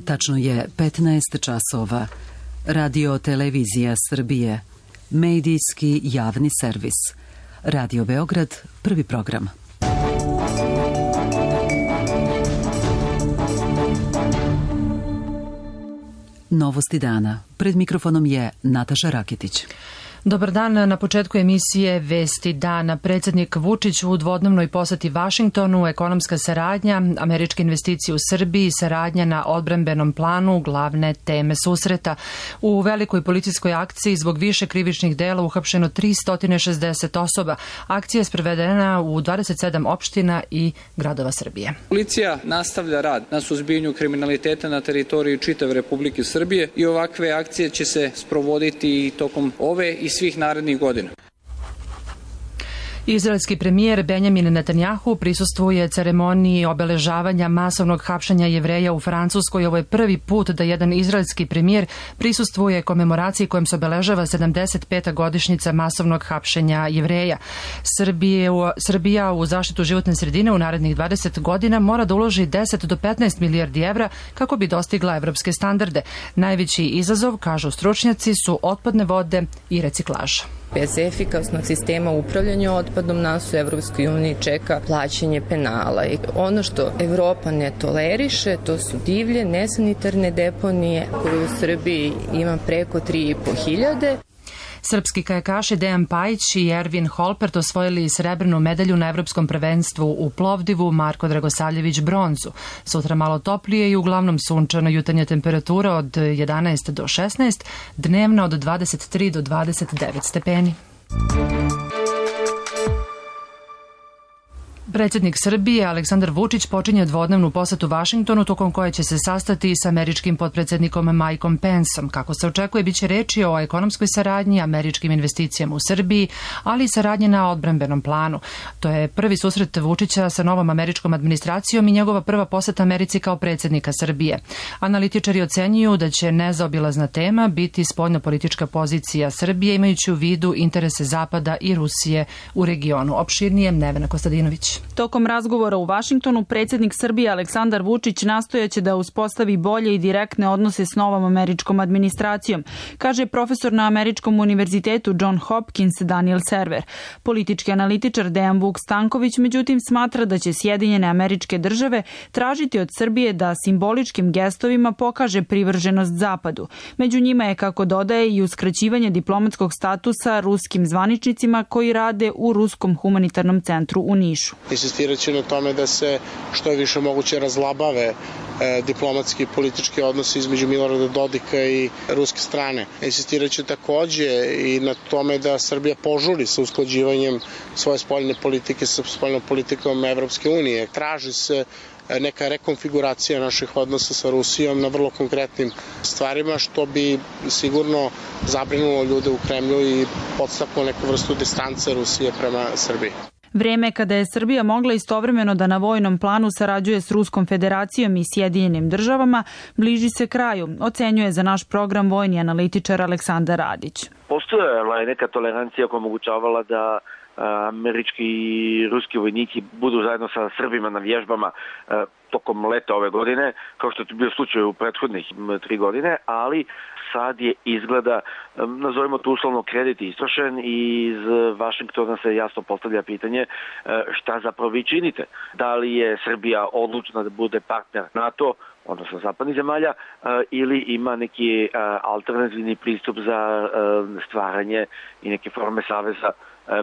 Tačno je 15 časova. Radio Televizija Srbije. Medijski javni servis. Radio Beograd, prvi program. Novosti dana. Pred mikrofonom je Nataša Raketić. Dobar dan. Na početku emisije Vesti dana. Predsjednik Vučić u dvodnevnoj poseti Vašingtonu, ekonomska saradnja, američke investicije u Srbiji, saradnja na odbrambenom planu, glavne teme susreta. U velikoj policijskoj akciji zbog više krivičnih dela uhapšeno 360 osoba. Akcija je sprovedena u 27 opština i gradova Srbije. Policija nastavlja rad na suzbijanju kriminaliteta na teritoriji čitave Republike Srbije i ovakve akcije će se sprovoditi i tokom ove i svih narednih godina. Izraelski premijer Benjamin Netanjahu prisustvuje ceremoniji obeležavanja masovnog hapšenja Jevreja u Francuskoj. Ovo je prvi put da jedan izraelski premijer prisustvuje komemoraciji kojom se obeležava 75. godišnjica masovnog hapšenja Jevreja. Srbija u zaštitu životne sredine u narednih 20 godina mora da uloži 10 do 15 milijardi evra kako bi dostigla evropske standarde. Najveći izazov, kažu stručnjaci, su otpadne vode i reciklaža. Bez efikasnog sistema upravljanja otpadom nas u Evropskoj uniji čeka plaćanje penala. I ono što Evropa ne toleriše, to su divlje, nesanitarne deponije koje u Srbiji ima preko 3.500. Srpski kajakaši Dejan Pajić i Ervin Holpert osvojili srebrnu medalju na evropskom prvenstvu u Plovdivu, Marko Dragosavljević bronzu. Sutra malo toplije i uglavnom sunčano, jutarnja temperatura od 11 do 16, dnevna od 23 do 29 stepeni. Predsjednik Srbije Aleksandar Vučić počinje dvodnevnu posetu Vašingtonu tokom koje će se sastati sa američkim potpredsjednikom Mikeom Penceom. Kako se očekuje, biće reči o ekonomskoj saradnji, američkim investicijama u Srbiji, ali i saradnji na odbrambenom planu. To je prvi susret Vučića sa novom američkom administracijom i njegova prva poseta Americi kao predsjednika Srbije. Analitičari ocenjuju da će nezaobilazna tema biti spoljnopolitička pozicija Srbije, imajući u vidu interese Zapada i Rusije u regionu. Opširnije Nevena Kostadinović. Tokom razgovora u Vašingtonu predsjednik Srbije Aleksandar Vučić nastojaće da uspostavi bolje i direktne odnose s novom američkom administracijom, kaže profesor na Američkom univerzitetu John Hopkins Daniel Server. Politički analitičar Dejan Vuk Stanković međutim smatra da će Sjedinjene Američke Države tražiti od Srbije da simboličkim gestovima pokaže privrženost Zapadu. Među njima je, kako dodaje, i uskraćivanje diplomatskog statusa ruskim zvaničnicima koji rade u Ruskom humanitarnom centru u Nišu. Insistirat će na tome da se što je više moguće razlabave diplomatski i politički odnosi između Milorada Dodika i ruske strane. Insistirat će takođe i na tome da Srbija požuri sa usklađivanjem svoje spoljne politike sa spoljnom politikom Evropske unije. Traži se neka rekonfiguracija naših odnosa sa Rusijom na vrlo konkretnim stvarima, što bi sigurno zabrinulo ljude u Kremlju i podstaklo neku vrstu distance Rusije prema Srbiji. Vreme kada je Srbija mogla istovremeno da na vojnom planu sarađuje s Ruskom federacijom i Sjedinjenim državama bliži se kraju, ocenjuje za naš program vojni analitičar Aleksandar Radić. Postojala je neka tolerancija koja omogućavala da američki i ruski vojnici budu zajedno sa Srbima na vježbama tokom leta ove godine, kao što je bio slučaj u prethodnih 3 godine, ali sad je izgleda, nazovimo to uslovno, kredit istrošen i iz Vašingtona se jasno postavlja pitanje šta zapravo vi činite. Da li je Srbija odlučna da bude partner NATO, odnosno zapadnih zemalja, ili ima neki alternativni pristup za stvaranje i neke forme saveza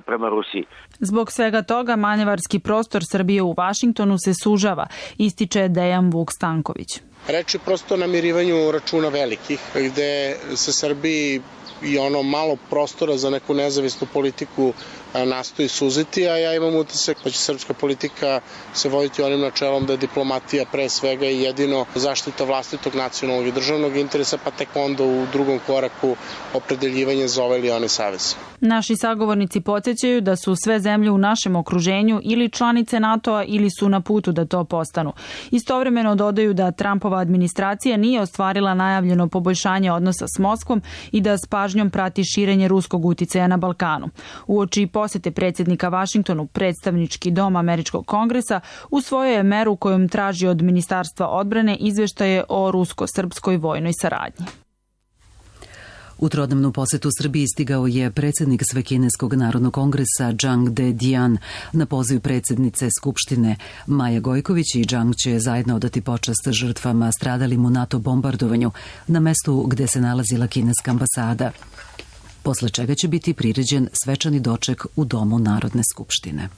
prema Rusiji. Zbog svega toga manevarski prostor Srbije u Vašingtonu se sužava, ističe Dejan Vuk Stanković. Reč je prosto o namirivanju računa velikih, gde se Srbiji i ono malo prostora za neku nezavisnu politiku nastoji suziti, a ja imam utisak da će srpska politika se voditi onim načelom da je diplomatija pre svega i jedino zaštita vlastitog nacionalnog i državnog interesa, pa tek onda u drugom koraku opredeljivanje za ovaj ili onaj savez. Naši sagovornici podsjećaju da su sve zemlje u našem okruženju ili članice NATO-a ili su na putu da to postanu. Istovremeno dodaju da Trumpova administracija nije ostvarila najavljeno poboljšanje odnosa s Moskvom i da s pažnjom prati širenje ruskog uticaja na Balkanu. Uoči posete predsjednika Vašingtonu, predstavnički dom Američkog kongresa usvojio je meru kojom traži od Ministarstva odbrane izveštaje o rusko-srpskoj vojnoj saradnji. U trodnevnu posetu Srbiji stigao je predsjednik Svekineskog narodnog kongresa Džang De Dian. Na poziv predsjednice Skupštine Maje Gojković i Džang će zajedno odati počast žrtvama stradalim u NATO bombardovanju na mestu gde se nalazila kineska ambasada, posle čega će biti priređen svečani doček u Domu Narodne skupštine.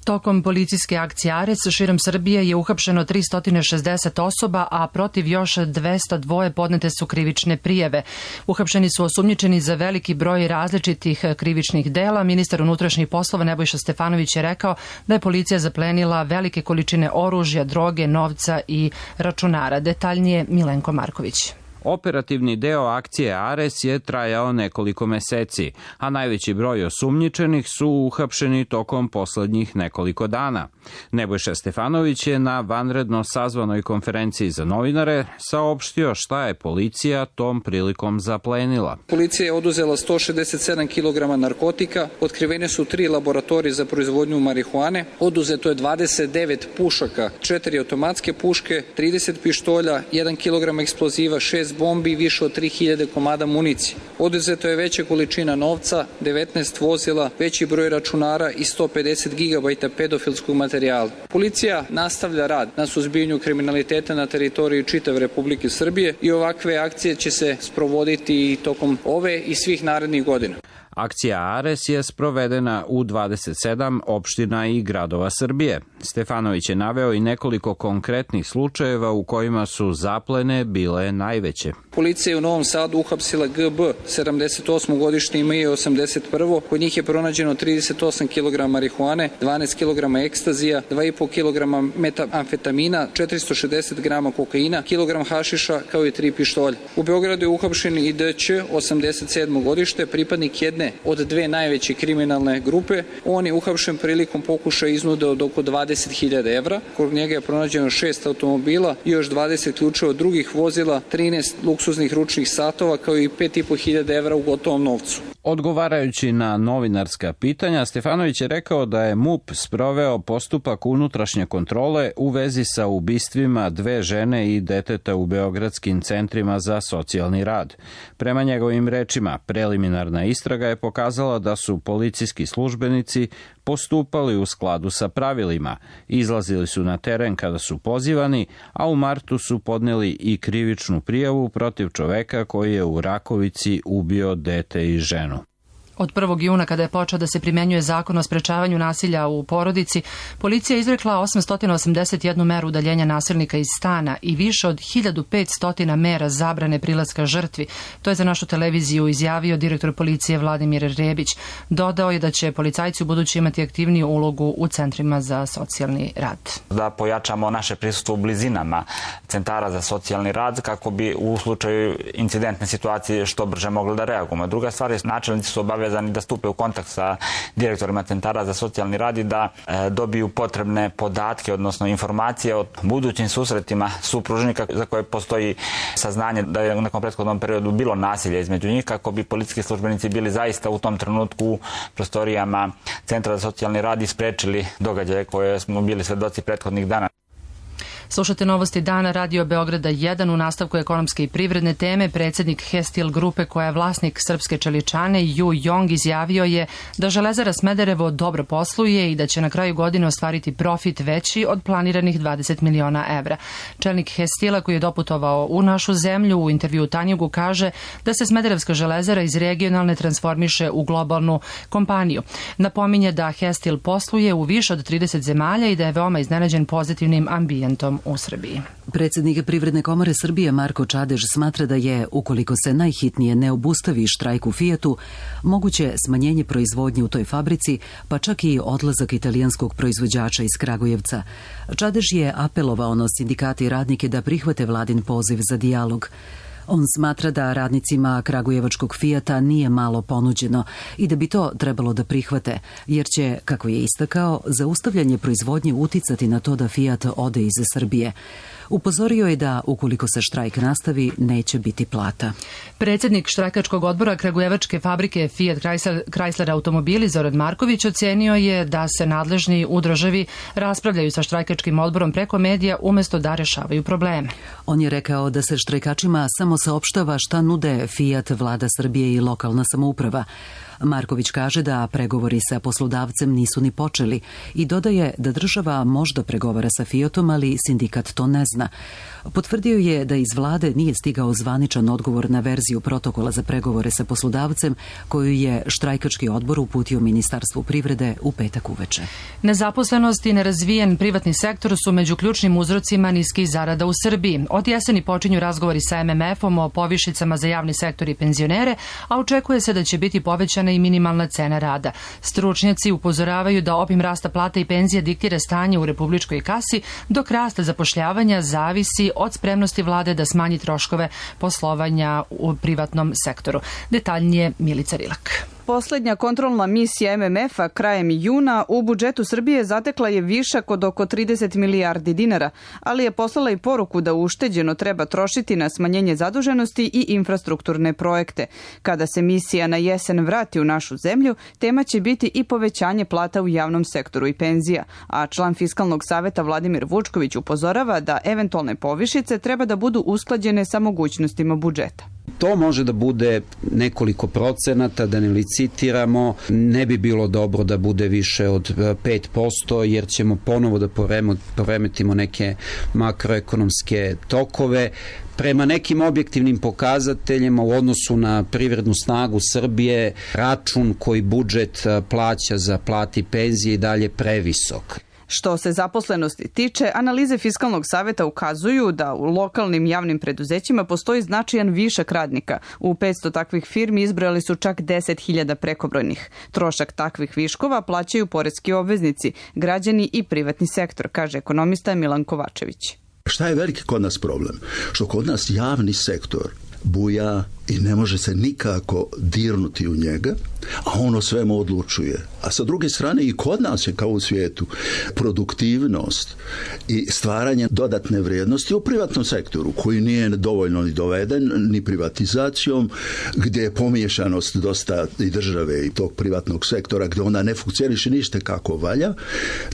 Tokom policijske akcije Ares širom Srbije je uhapšeno 360 osoba, a protiv još 202 podnete su krivične prijave. Uhapšeni su osumnjičeni za veliki broj različitih krivičnih dela. Ministar unutrašnjih poslova Nebojša Stefanović je rekao da je policija zaplenila velike količine oružja, droge, novca i računara. Detaljnije Milenko Marković. Operativni deo akcije Ares je trajao nekoliko meseci, a najveći broj osumnjičenih su uhapšeni tokom poslednjih nekoliko dana. Nebojša Stefanović je na vanredno sazvanoj konferenciji za novinare saopštio šta je policija tom prilikom zaplenila. Policija je oduzela 167 kg narkotika, otkrivene su 3 laboratorije za proizvodnju marihuane, oduzeto je 29 pušaka, 4 automatske puške, 30 pištolja, 1 kg eksploziva, 6 bombi i više od 3000 komada municije. Oduzeto je veća količina novca, 19 vozila, veći broj računara i 150 GB pedofilskog materijala. Policija nastavlja rad na suzbijanju kriminaliteta na teritoriji čitave Republike Srbije i ovakve akcije će se sprovoditi i tokom ove i svih narednih godina. Akcija Ares je sprovedena u 27 opština i gradova Srbije. Stefanović je naveo i nekoliko konkretnih slučajeva u kojima su zaplene bile najveće. Policija je u Novom Sadu uhapsila GB, 78. godišnje ime je 81. Kod njih je pronađeno 38 kg marihuane, 12 kg ekstazija, 2,5 kg metamfetamina, 460 g kokaina, kilogram hašiša kao i 3 pištolja. U Beogradu je uhapšen i DC, 87. godište, pripadnik jedne od 2 najveće kriminalne grupe. On je uhapšen prilikom pokušaja iznude od oko 20.000 evra. Kod njega je pronađeno 6 automobila i još 20 ključeva od drugih vozila, 13 luksuznih ručnih satova kao i 5.500 evra u gotovom novcu. Odgovarajući na novinarska pitanja, Stefanović je rekao da je MUP sproveo postupak unutrašnje kontrole u vezi sa ubistvima 2 žene i deteta u beogradskim centrima za socijalni rad. Prema njegovim rečima, preliminarna istraga je pokazala da su policijski službenici postupali u skladu sa pravilima, izlazili su na teren kada su pozivani, a u martu su podneli i krivičnu prijavu protiv čoveka koji je u Rakovici ubio dete i ženu. Od 1. juna, kada je počeo da se primenjuje zakon o sprečavanju nasilja u porodici, policija je izrekla 881 meru udaljenja nasilnika iz stana i više od 1500 mera zabrane prilaska žrtvi. To je za našu televiziju izjavio direktor policije Vladimir Rebić. Dodao je da će policajci u budući imati aktivniju ulogu u centrima za socijalni rad. Da pojačamo naše prisustvo u blizinama centara za socijalni rad kako bi u slučaju incidentne situacije što brže mogli da reagujemo. Druga stvar je, načelnici su obavezani da stupe u kontakt sa direktorima centara za socijalni rad i da dobiju potrebne podatke, odnosno informacije o budućim susretima supružnika za koje postoji saznanje da je u nekom prethodnom periodu bilo nasilje između njih, kako bi policijski službenici bili zaista u tom trenutku u prostorijama centra za socijalni rad i sprečili događaje koje smo bili svedoci prethodnih dana. Slušate novosti dana Radio Beograda 1 u nastavku ekonomske i privredne teme. Predsjednik Hestil grupe, koja je vlasnik srpske čeličane, Ju Jong, izjavio je da Železara Smederevo dobro posluje i da će na kraju godine ostvariti profit veći od planiranih 20 miliona evra. Čelnik Hestila, koji je doputovao u našu zemlju, u intervju Tanjugu kaže da se Smederevska železara iz regionalne transformiše u globalnu kompaniju. Napominje da Hestil posluje u više od 30 zemalja i da je veoma iznenađen pozitivnim ambijentom u Srbiji. Predsjednik Privredne komore Srbije Marko Čadež smatra da je, ukoliko se najhitnije ne obustavi štrajk u Fijatu, moguće smanjenje proizvodnje u toj fabrici, pa čak i odlazak italijanskog proizvođača iz Kragujevca. Čadež je apelovao na sindikate i radnike da prihvate vladin poziv za dijalog. On smatra da radnicima kragujevačkog Fijata nije malo ponuđeno i da bi to trebalo da prihvate, jer će, kako je istakao, zaustavljanje proizvodnje uticati na to da Fijat ode iz Srbije. Upozorio je da, ukoliko se štrajk nastavi, neće biti plata. Predsjednik štrajkačkog odbora kragujevačke fabrike Fiat Chrysler automobili Zoran Marković ocenio je da se nadležni u državi raspravljaju sa štrajkačkim odborom preko medija umjesto da rešavaju probleme. On je rekao da se štrajkačima samo saopštava šta nude Fiat, vlada Srbije i lokalna samouprava. Marković kaže da pregovori sa poslodavcem nisu ni počeli i dodaje da država možda pregovara sa Fiatom, ali sindikat to ne zna. Potvrdio je da iz vlade nije stigao zvaničan odgovor na verziju protokola za pregovore sa poslodavcem koju je štrajkački odbor uputio Ministarstvu privrede u petak uveče. Nezaposlenost i nerazvijen privatni sektor su među ključnim uzrocima niskih zarada u Srbiji. Od jeseni počinju razgovori sa MMF-om o povišicama za javni sektor i penzionere, a očekuje se da će biti povećana i minimalna cena rada. Stručnjaci upozoravaju da obim rasta plata i penzija diktira stanje u republičkoj kasi, dok rast zapošljavanja zavisi od spremnosti vlade da smanji troškove poslovanja u privatnom sektoru. Detaljnije Milica Rilak. Poslednja kontrolna misija MMF-a krajem juna u budžetu Srbije zatekla je višak od oko 30 milijardi dinara, ali je poslala i poruku da ušteđeno treba trošiti na smanjenje zaduženosti i infrastrukturne projekte. Kada se misija na jesen vrati u našu zemlju, tema će biti i povećanje plata u javnom sektoru i penzija, a član Fiskalnog saveta Vladimir Vučković upozorava da eventualne povišice treba da budu usklađene sa mogućnostima budžeta. To može da bude nekoliko procenata, da ne licitiramo, ne bi bilo dobro da bude više od 5%, jer ćemo ponovo da poremetimo neke makroekonomske tokove. Prema nekim objektivnim pokazateljima u odnosu na privrednu snagu Srbije, račun koji budžet plaća za plate i penzije i dalje previsok. Što se zaposlenosti tiče, analize Fiskalnog saveta ukazuju da u lokalnim javnim preduzećima postoji značajan višak radnika. U 500 takvih firmi izbrojali su čak 10.000 prekobrojnih. Trošak takvih viškova plaćaju poreski obveznici, građani i privatni sektor, kaže ekonomista Milan Kovačević. Šta je veliki kod nas problem? Što kod nas javni sektor buja i ne može se nikako dirnuti u njega, a ono svemu odlučuje. A sa druge strane i kod nas je kao u svijetu produktivnost i stvaranje dodatne vrijednosti u privatnom sektoru koji nije dovoljno ni doveden ni privatizacijom, gdje je pomiješanost dosta i države i tog privatnog sektora gdje ona ne funkcioniše ništa kako valja.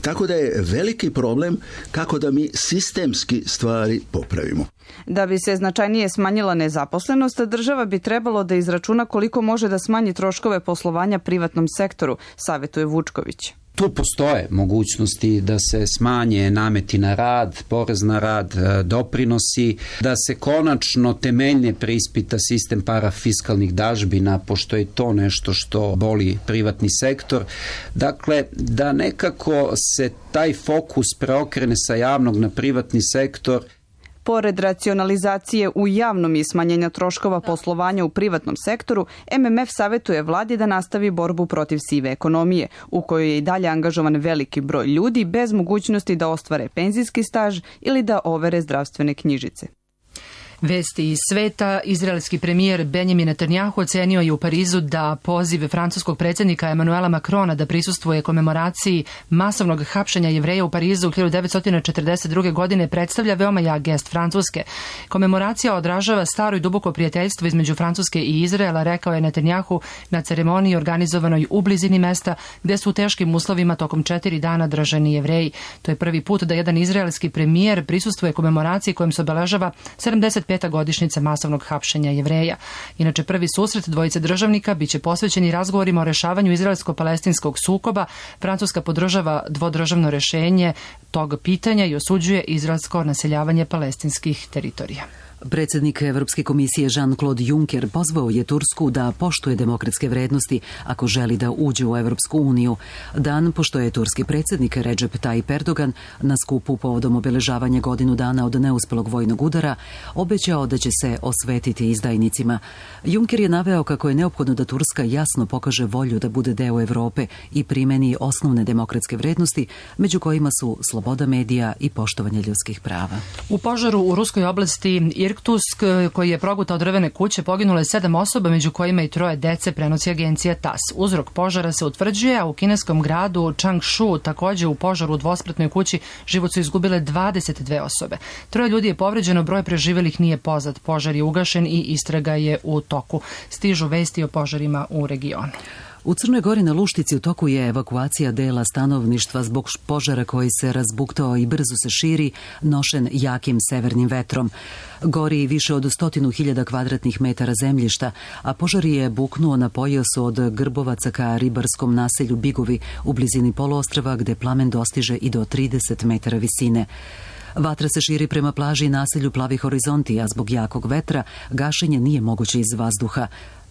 Tako da je veliki problem kako da mi sistemski stvari popravimo. Da bi se značajnije smanjila nezaposlenost, država bi trebalo da izračuna koliko može da smanji troškove poslovanja privatnom sektoru, savjetuje Vučković. Tu postoje mogućnosti da se smanje nameti na rad, porez na rad, doprinosi, da se konačno temeljne preispita sistem parafiskalnih dažbina, pošto je to nešto što boli privatni sektor. Dakle, da nekako se taj fokus preokrene sa javnog na privatni sektor. Pored racionalizacije u javnom i smanjenja troškova poslovanja u privatnom sektoru, MMF savjetuje vladi da nastavi borbu protiv sive ekonomije, u kojoj je i dalje angažovan veliki broj ljudi bez mogućnosti da ostvare penzijski staž ili da overe zdravstvene knjižice. Vesti iz sveta. Izraelski premijer Benjamin Netanjahu ocenio je u Parizu da poziv francuskog predsjednika Emanuela Macrona da prisustvuje komemoraciji masovnog hapšenja Jevreja u Parizu 1942. godine predstavlja veoma jak gest Francuske. Komemoracija odražava staro i duboko prijateljstvo između Francuske i Izraela, rekao je Netanjahu na ceremoniji organizovanoj u blizini mesta gde su u teškim uslovima tokom 4 dana držani Jevreji. To je prvi put da jedan izraelski premijer prisustvuje komemoraciji kojom se obeležava 75. godišnjica masovnog hapšenja Jevreja. Inače, prvi susret dvojice državnika biće posvećeni razgovorima o rešavanju izraelsko-palestinskog sukoba. Francuska podržava dvodržavno rešenje tog pitanja i osuđuje izraelsko naseljavanje palestinskih teritorija. Predsjednik Evropske komisije Jean-Claude Juncker pozvao je Tursku da poštuje demokratske vrednosti ako želi da uđe u Evropsku uniju. Dan pošto je turski predsjednik Recep Tayyip Erdogan na skupu povodom obeležavanja godinu dana od neuspelog vojnog udara obećao da će se osvetiti izdajnicima. Juncker je naveo kako je neophodno da Turska jasno pokaže volju da bude deo Evrope i primeni osnovne demokratske vrednosti, među kojima su sloboda medija i poštovanje ljudskih prava. U požaru u ruskoj oblasti Irkutsk koji je progutao drvene kuće, poginulo je 7 osoba, među kojima i 3 dece, prenosi agencija TASS. Uzrok požara se utvrđuje, a u kineskom gradu Changshu takođe u požaru u dvospratnoj kući život su izgubile 22 osobe. 3 ljudi je povređeno, broj preživelih nije poznat. Požar je ugašen i istraga je u toku. Stižu vesti o požarima u regionu. U Crnoj Gori na Luštici u toku je evakuacija dela stanovništva zbog požara koji se razbuktao i brzo se širi, nošen jakim severnim vetrom. Gori više od 100.000 kvadratnih metara zemljišta, a požar je buknuo na pojasu od Grbovaca ka ribarskom naselju Bigovi u blizini poluostrva gde plamen dostiže i do 30 metara visine. Vatra se širi prema plaži i naselju Plavi horizonti, a zbog jakog vetra gašenje nije moguće iz vazduha.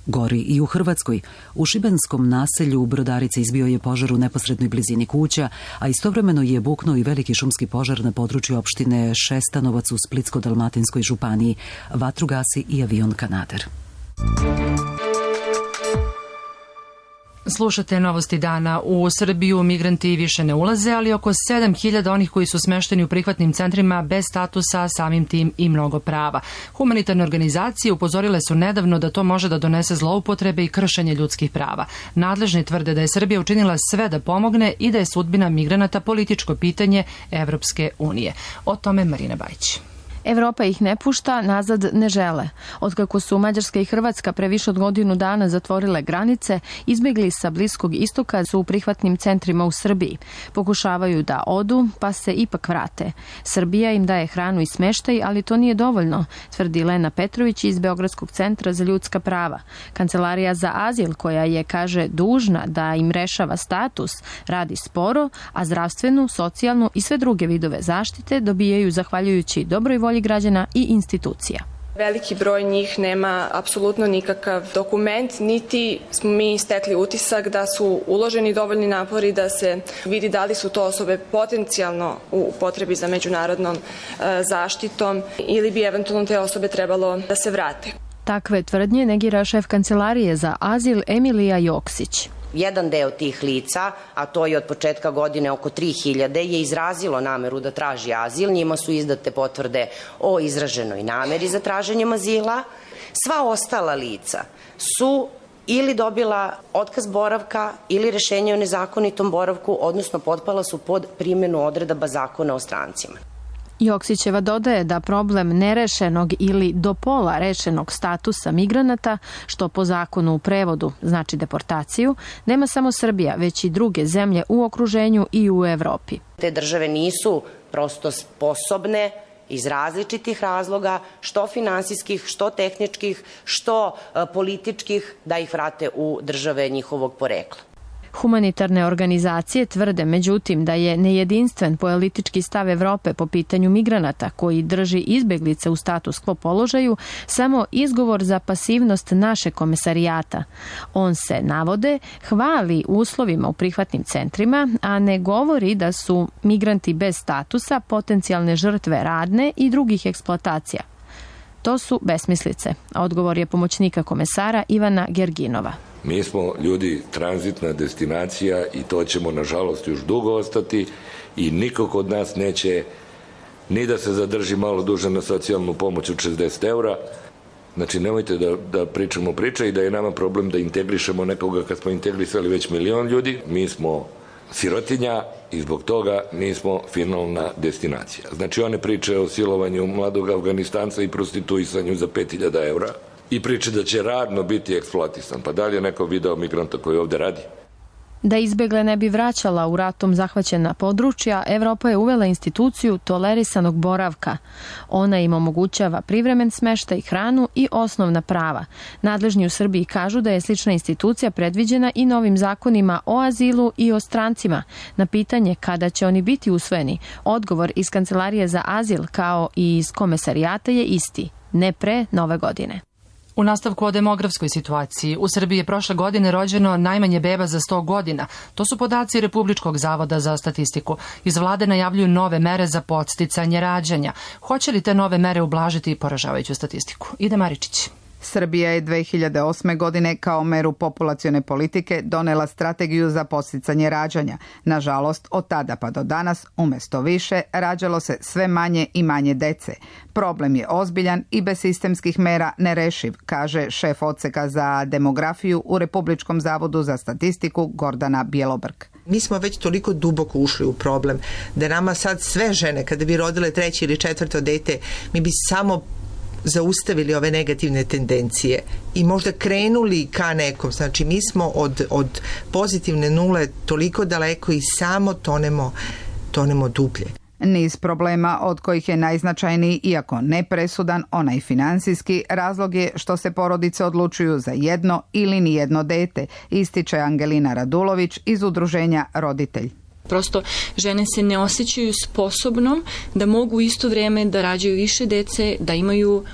Gori i u Hrvatskoj. U šibenskom naselju u Brodarici izbio je požar u neposrednoj blizini kuća, a istovremeno je buknuo i veliki šumski požar na području opštine Šestanovac u Splitsko-dalmatinskoj županiji. Vatru gasi i avion Kanader. Slušate novosti dana. U Srbiju migranti više ne ulaze, ali oko 7.000 onih koji su smešteni u prihvatnim centrima bez statusa, samim tim i mnogo prava. Humanitarne organizacije upozorile su nedavno da to može da donese zloupotrebe i kršenje ljudskih prava. Nadležni tvrde da je Srbija učinila sve da pomogne i da je sudbina migranata političko pitanje Evropske unije. O tome Marina Bajić. Evropa ih ne pušta, nazad ne žele. Otkako su Mađarska i Hrvatska pre više od godinu dana zatvorile granice, izbjegli sa Bliskog istoka su u prihvatnim centrima u Srbiji. Pokušavaju da odu, pa se ipak vrate. Srbija im daje hranu i smeštaj, ali to nije dovoljno, tvrdi Lena Petrović iz Beogradskog centra za ljudska prava. Kancelarija za azil, koja je, kaže, dužna da im rešava status, radi sporo, a zdravstvenu, socijalnu i sve druge vidove zaštite dobijaju zahvaljujući dobroj volji građana i institucija. Veliki broj njih nema apsolutno nikakav dokument, niti smo mi stekli utisak da su uloženi dovoljni napori da se vidi da li su to osobe potencijalno u potrebi za međunarodnom zaštitom ili bi eventualno te osobe trebalo da se vrate. Takve tvrdnje negira šef Kancelarije za azil Emilija Joksić. Jedan deo tih lica, a to je od početka godine oko 3.000, je izrazilo nameru da traži azil. Njima su izdate potvrde o izraženoj nameri za traženjem azila. Sva ostala lica su ili dobila otkaz boravka ili rešenje o nezakonitom boravku, odnosno potpala su pod primjenu odredaba Zakona o strancima. Joksićeva dodaje da problem nerešenog ili do pola rešenog statusa migranata, što po zakonu u prevodu znači deportaciju, nema samo Srbija, već i druge zemlje u okruženju i u Evropi. Te države nisu prosto sposobne iz različitih razloga, što finansijskih, što tehničkih, što političkih, da ih vrate u države njihovog porekla. Humanitarne organizacije tvrde, međutim, da je nejedinstven politički stav Evrope po pitanju migranata koji drži izbeglice u status quo položaju samo izgovor za pasivnost naše komesarijata. On se, navode, hvali uslovima u prihvatnim centrima, a ne govori da su migranti bez statusa potencijalne žrtve radne i drugih eksploatacija. To su besmislice. Odgovor je pomoćnika komesara Ivana Gerginova. Mi smo ljudi tranzitna destinacija i to ćemo nažalost još dugo ostati i niko kod nas neće ni da se zadrži malo duže na socijalnu pomoć od 60 eura. Znači nemojte da pričamo priče i da je nama problem da integrišemo nekoga kad smo integrisali već 1 milion ljudi. Mi smo sirotinja i zbog toga nismo finalna destinacija. Znači one priče o silovanju mladog Afganistanca i prostituisanju za 5.000 eura i priče da će radno biti eksploatisan. Pa da li je neko video migranta koji ovde radi? Da izbegle ne bi vraćala u ratom zahvaćena područja, Evropa je uvela instituciju tolerisanog boravka. Ona im omogućava privremen smeštaj, hranu i osnovna prava. Nadležni u Srbiji kažu da je slična institucija predviđena i novim zakonima o azilu i o strancima. Na pitanje kada će oni biti usvojeni, odgovor iz Kancelarije za azil kao i iz komesarijata je isti, ne pre Nove godine. U nastavku o demografskoj situaciji, u Srbiji je prošle godine rođeno najmanje beba za 100 godina. To su podaci Republičkog zavoda za statistiku. Iz vlade najavljuju nove mere za podsticanje rađanja. Hoće li te nove mere ublažiti poražavajuću statistiku? Ide Maričić. Srbija je 2008. godine kao meru populacione politike donela strategiju za podsticanje rađanja. Nažalost, od tada pa do danas, umesto više, rađalo se sve manje i manje dece. Problem je ozbiljan i bez sistemskih mera nerešiv, kaže šef odseka za demografiju u Republičkom zavodu za statistiku Gordana Bjelobrk. Mi smo već toliko duboko ušli u problem da nama sad sve žene, kada bi rodile 3. ili 4. dete, mi bi samo zaustavili ove negativne tendencije i možda krenuli ka nekom. Znači, mi smo od pozitivne nule toliko daleko i samo tonemo dublje. Niz problema od kojih je najznačajniji, iako ne presudan, onaj finansijski, razlog je što se porodice odlučuju za jedno ili nijedno dete, ističe Angelina Radulović iz udruženja Roditelj. Prosto žene se ne osjećaju sposobnom da mogu u isto vrijeme da rađaju više dece, da imaju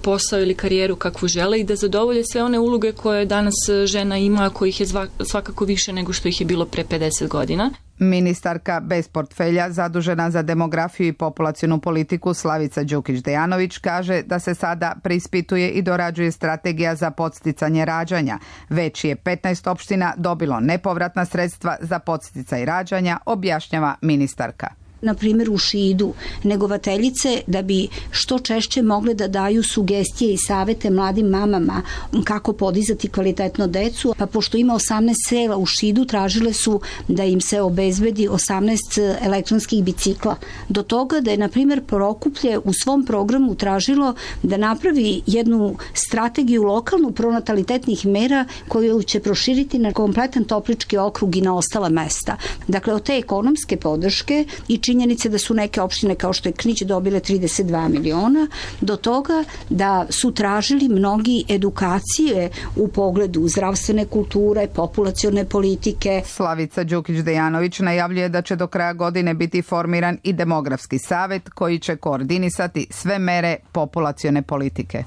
posao ili karijeru kakvu žele i da zadovolje sve one uloge koje danas žena ima, a kojih je svakako više nego što ih je bilo pre 50 godina. Ministarka bez portfelja zadužena za demografiju i populacionu politiku Slavica Đukić-Dejanović kaže da se sada preispituje i dorađuje strategija za podsticanje rađanja. Već je 15 opština dobilo nepovratna sredstva za podsticaj rađanja, objašnjava ministarka. Na primjer u Šidu, negovateljice da bi što češće mogle da daju sugestije i savete mladim mamama kako podizati kvalitetno decu, pa pošto ima 18 sela u Šidu, tražile su da im se obezbedi 18 elektronskih bicikla. Do toga da je, na primjer, Prokuplje u svom programu tražilo da napravi jednu strategiju lokalnu pronatalitetnih mera koju će proširiti na kompletan Toplički okrug i na ostala mesta. Dakle, od te ekonomske podrške i činjenice da su neke opštine kao što je Knić dobile 32 miliona, do toga da su tražili mnogi edukacije u pogledu zdravstvene kulture, populacione politike. Slavica Đukić-Dejanović najavljuje da će do kraja godine biti formiran i demografski savet koji će koordinisati sve mere populacione politike.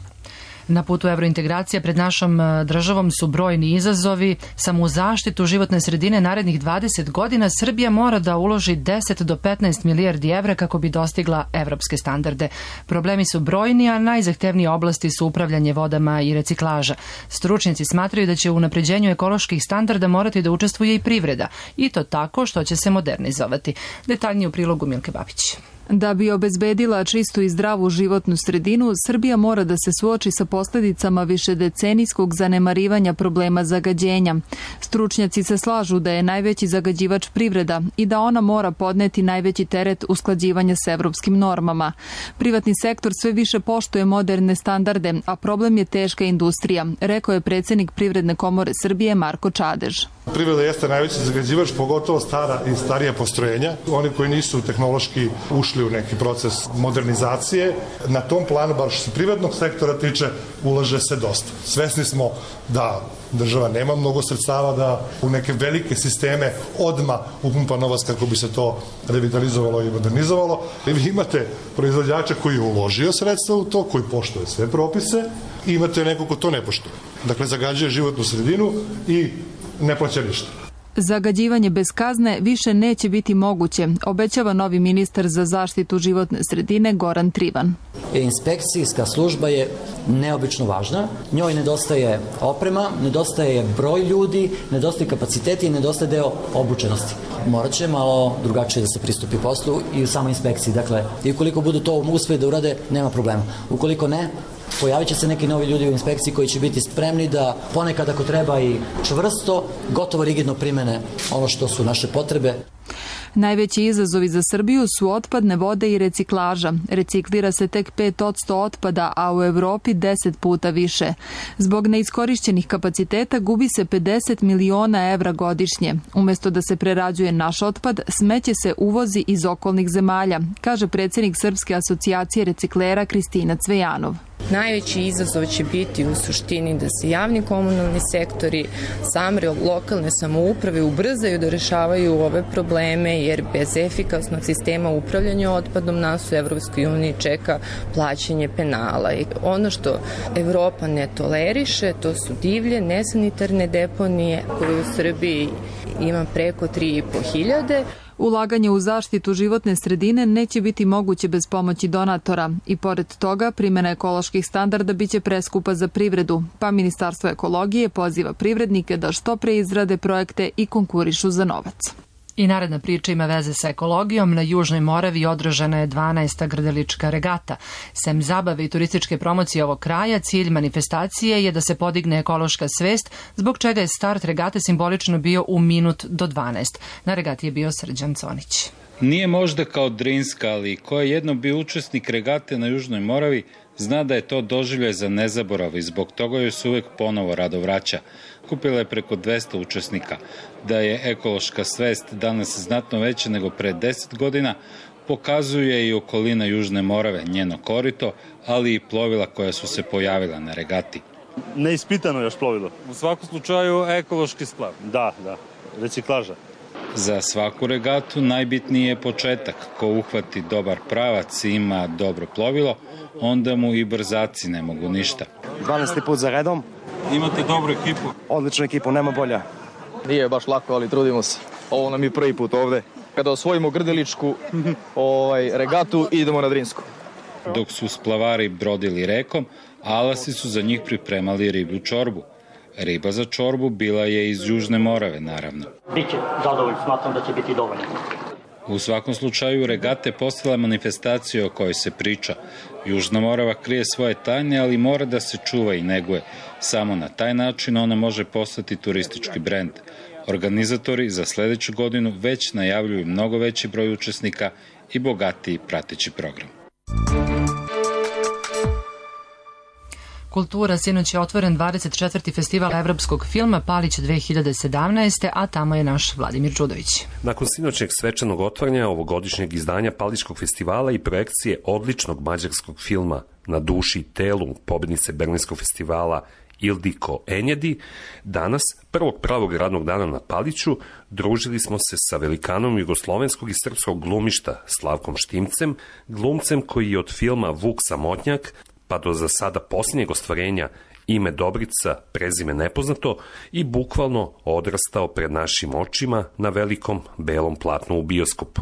Na putu evrointegracija pred našom državom su brojni izazovi. Samo u zaštitu životne sredine narednih 20 godina Srbija mora da uloži 10 do 15 milijardi evra kako bi dostigla evropske standarde. Problemi su brojni, a najzahtevnije oblasti su upravljanje vodama i reciklaža. Stručnjaci smatraju da će u unapređenju ekoloških standarda morati da učestvuje i privreda, i to tako što će se modernizovati. Detaljnije u prilogu Milke Babić. Da bi obezbedila čistu i zdravu životnu sredinu, Srbija mora da se suoči sa posljedicama višedecenijskog zanemarivanja problema zagađenja. Stručnjaci se slažu da je najveći zagađivač privreda i da ona mora podneti najveći teret usklađivanja s evropskim normama. Privatni sektor sve više poštuje moderne standarde, a problem je teška industrija, rekao je predsjednik Privredne komore Srbije Marko Čadež. Privreda jeste najveći zagađivač, pogotovo stara i starija postrojenja. Oni koji nisu tehnološki ušli u neki proces modernizacije. Na tom planu, bar što se privatnog sektora tiče, ulaže se dosta. Svesni smo da država nema mnogo sredstava da u neke velike sisteme odma upumpa novac kako bi se to revitalizovalo i modernizovalo. I vi imate proizvođača koji je uložio sredstva u to, koji poštuje sve propise, i imate neko ko to ne poštuje. Dakle, zagađuje životnu sredinu i ne plaća ništa. Zagađivanje bez kazne više neće biti moguće, obećava novi ministar za zaštitu životne sredine Goran Trivan. Inspekcijska služba je neobično važna. Njoj nedostaje oprema, nedostaje broj ljudi, nedostaje kapaciteti i nedostaje deo obučenosti. Morat će malo drugačije da se pristupi poslu i u samoj inspekciji. Dakle, i ukoliko budu to uspeli da urade, nema problema. Ukoliko ne, pojavit će se neki novi ljudi u inspekciji koji će biti spremni da ponekad, ako treba, i čvrsto, gotovo rigidno primene ono što su naše potrebe. Najveći izazovi za Srbiju su otpadne vode i reciklaža. Reciklira se tek 5% otpada, a u Evropi 10 puta više. Zbog neiskorišćenih kapaciteta gubi se 50 miliona evra godišnje. Umesto da se prerađuje naš otpad, smeće se uvozi iz okolnih zemalja, kaže predsjednik Srpske asocijacije reciklera Kristina Cvejanov. Najveći izazov će biti u suštini da se javni komunalni sektori, same lokalne samouprave ubrzaju da rešavaju ove probleme, jer bez efikasnog sistema upravljanja otpadom nas u Evropskoj uniji čeka plaćanje penala. I ono što Evropa ne toleriše, to su divlje, nesanitarne deponije koje u Srbiji ima preko 3.500. Ulaganje u zaštitu životne sredine neće biti moguće bez pomoći donatora i pored toga primjena ekoloških standarda biće preskupa za privredu, pa Ministarstvo ekologije poziva privrednike da što pre izrade projekte i konkurišu za novac. I naredna priča ima veze sa ekologijom. Na Južnoj Moravi održana je 12. grdelička regata. Sem zabave i turističke promocije ovog kraja, cilj manifestacije je da se podigne ekološka svest, zbog čega je start regate simbolično bio u minut do 12. Na regati je bio Srđan Conić. Nije možda kao Drinska, ali ko je jednom bio učesnik regate na Južnoj Moravi, zna da je to doživljaj za nezaborav i zbog toga joj se uvek ponovo rado vraća. Kupila je preko 200 učesnika. Da je ekološka svest danas znatno veća nego pre 10 godina, pokazuje i okolina Južne Morave, njeno korito, ali i plovila koja su se pojavila na regati. Neispitano još plovilo. U svakom slučaju ekološki splav. Da, reciklaža. Za svaku regatu najbitniji je početak. Ko uhvati dobar pravac i ima dobro plovilo, onda mu i brzaci ne mogu ništa. 12. put za redom. Imate dobru ekipu? Odličnu ekipu, nema bolja. Nije baš lako, ali trudimo se. Ovo nam je prvi put ovde. Kada osvojimo grdeličku regatu, idemo na Drinsku. Dok su splavari brodili rekom, alasi su za njih pripremali riblju čorbu. Riba za čorbu bila je iz Južne Morave, naravno. Biće zadovoljno, smatram da će biti dovoljno. U svakom slučaju, regata je postala manifestacija o kojoj se priča. Južna Morava krije svoje tajne, ali mora da se čuva i neguje. Samo na taj način ona može postati turistički brend. Organizatori za sledeću godinu već najavljuju mnogo veći broj učesnika i bogatiji prateći program. Kultura, sinoć je otvoren 24. festival evropskog filma Palić 2017. a tamo je naš Vladimir Čudović. Nakon sinoćnjeg svečanog otvaranja ovogodišnjeg izdanja Palićkog festivala i projekcije odličnog mađarskog filma Na duši i telu pobednice Berlinskog festivala Ildiko Enjedi, danas, prvog pravog radnog dana na Paliću, družili smo se sa velikanom jugoslovenskog i srpskog glumišta Slavkom Štimcem, glumcem koji je od filma Vuk Samotnjak pa do za sada posljednjeg ostvarenja Ime Dobrica, prezime nepoznato i bukvalno odrastao pred našim očima na velikom belom platnu u bioskopu.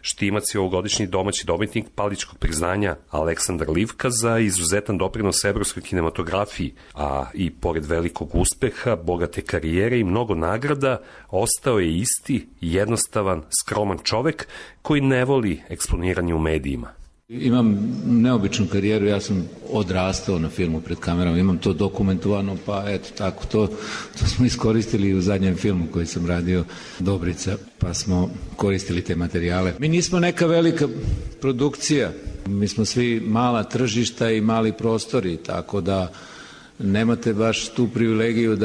Štimac je ovogodišnji domaći dobitnik Palićkog priznanja Aleksandar Livka za izuzetan doprinos evropskoj kinematografiji, a i pored velikog uspeha, bogate karijere i mnogo nagrada, ostao je isti, jednostavan, skroman čovek koji ne voli eksponiranje u medijima. Imam neobičnu karijeru, ja sam odrastao na filmu pred kamerom, imam to dokumentovano, pa eto tako, to smo iskoristili u zadnjem filmu koji sam radio, Dobrica, pa smo koristili te materijale. Mi nismo neka velika produkcija, mi smo svi mala tržišta i mali prostori, tako da nemate baš tu privilegiju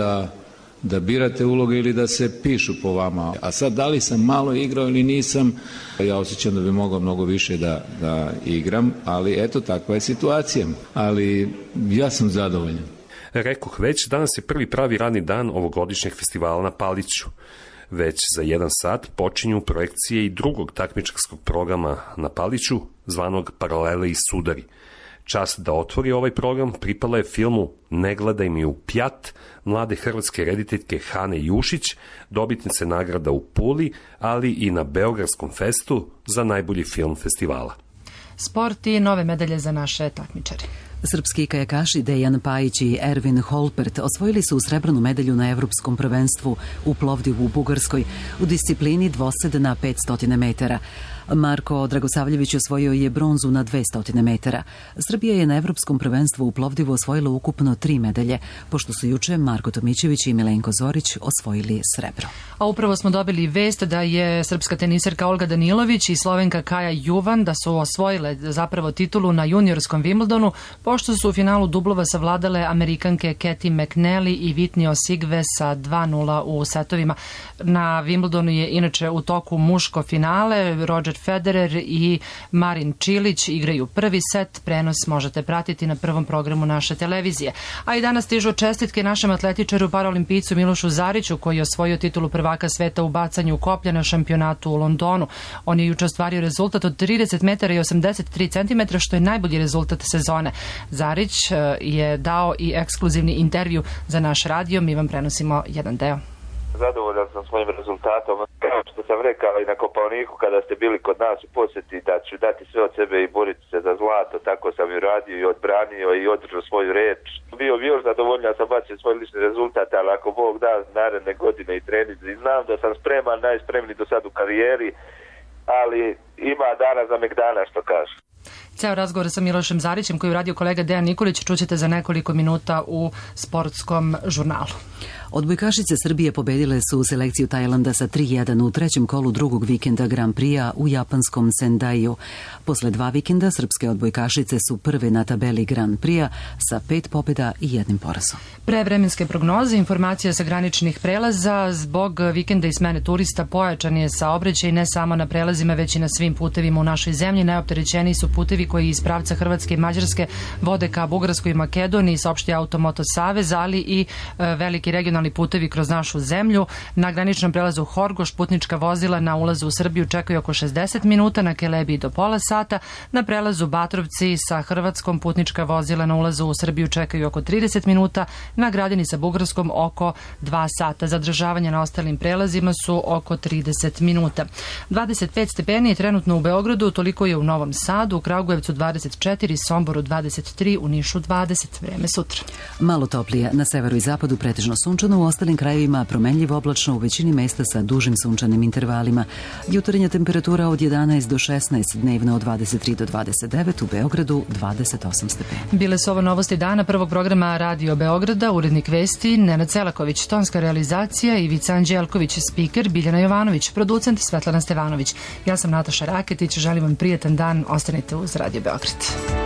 da birate uloge ili da se pišu po vama. A sad, da li sam malo igrao ili nisam, ja osjećam da bi mogao mnogo više da igram, ali eto, takva je situacija. Ali ja sam zadovoljan. Rekoh već, danas je prvi pravi radni dan ovogodišnjeg festivala na Paliću. Već za 1 sat počinju projekcije i drugog takmičarskog programa na Paliću, zvanog Paralele i sudari. Čast da otvori ovaj program pripala je filmu Ne gledaj mi u pjat mlade hrvatske rediteljke Hane Jušić, dobitnice nagrada u Puli, ali i na Beogradskom festu za najbolji film festivala. Sport i nove medalje za naše takmičare. Srpski kajakaši Dejan Pajić i Ervin Holpert osvojili su srebrnu medalju na Evropskom prvenstvu u Plovdivu u Bugarskoj u disciplini dvosed na 500 metara. Marko Dragosavljević osvojio je bronzu na 200 metara. Srbija je na Evropskom prvenstvu u Plovdivu osvojila ukupno 3 medalje, pošto su juče Marko Tomićević i Milenko Zorić osvojili srebro. A upravo smo dobili vest da je srpska teniserka Olga Danilović i Slovenka Kaja Juvan da su osvojile zapravo titulu na juniorskom Wimbledonu, pošto su u finalu dublova savladale Amerikanke Katie McNally i Whitney Osigve sa 2:0 u setovima. Na Wimbledonu je inače u toku muško finale. Roger Federer i Marin Čilić igraju prvi set. Prenos možete pratiti na prvom programu naše televizije. A i danas stižu čestitke našem atletičaru paraolimpijcu Milošu Zariću, koji je osvojio titulu prvaka sveta u bacanju koplja na šampionatu u Londonu. On je juče ostvario rezultat od 30 metara i 83 centimetra, što je najbolji rezultat sezone. Zarić je dao i ekskluzivni intervju za naš radio. Mi vam prenosimo jedan deo. Zadovoljan sam svojim rezultatom. evo što sam rekao i na Kopaoniku kada ste bili kod nas u posjeti, da ću dati sve od sebe i boriti se za zlato, tako sam i radio i odbranio i održao svoju reč. Bio bi još zadovoljnija, sam bacio svoj lični rezultat, ali ako Bog da naredne godine i treninzi, znam da sam spreman, najspremniji do sad u karijeri, ali ima dana za megdana, što kaže. Ceo razgovor sa Milošem Zarićem koji je uradio kolega Dejan Nikolić čućete za nekoliko minuta u sportskom žurnalu. Odbojkašice Srbije pobedile su selekciju Tajlanda sa 3-1 u trećem kolu drugog vikenda Grand Prix-a u japanskom Sendaiju. Posle 2 vikenda srpske odbojkašice su prve na tabeli Grand Prix-a sa 5 pobjeda i 1 porazom. Pre vremenske prognoze, informacija sa graničnih prelaza, zbog vikenda i smene turista pojačan je saobraćaj ne samo na prelazima, već i na svim putevima u našoj zemlji. Najopterećeniji su putevi koji iz pravca Hrvatske i Mađarske vode ka Bugarskoj i Makedoniji, saopštio Automoto Savez, ali i veliki regionalni putevi kroz našu zemlju. Na graničnom prelazu Horgoš putnička vozila na ulazu u Srbiju čekaju oko 60 minuta, na Kelebiji do pola sata. Na prelazu Batrovci sa Hrvatskom putnička vozila na ulazu u Srbiju čekaju oko 30 minuta, na Gradini sa Bugarskom oko 2 sata. Zadržavanje na ostalim prelazima su oko 30 minuta. 25 stepeni je trenutno u Beogradu, toliko je u Novom Sadu, u Kragujevcu 24, Somboru 23, u Nišu 20. Vreme sutra. Malo toplije, na severu i zapadu pretežno sunčano, u ostalim krajevima promenljivo oblačno, u većini mesta sa dužim sunčanim intervalima. Jutarnja temperatura od 11 do 16, dnevno od 23 do 29, u Beogradu 28 stepeni. Bile su ovo novosti dana prvog programa Radio Beograda, urednik vesti Nenad Celaković, tonska realizacija Ivica Anđelković, spiker Biljana Jovanović, producent Svetlana Stevanović. Ja sam Nataša Raketić, želim vam prijatan dan, ostanite uz Radio Beograd.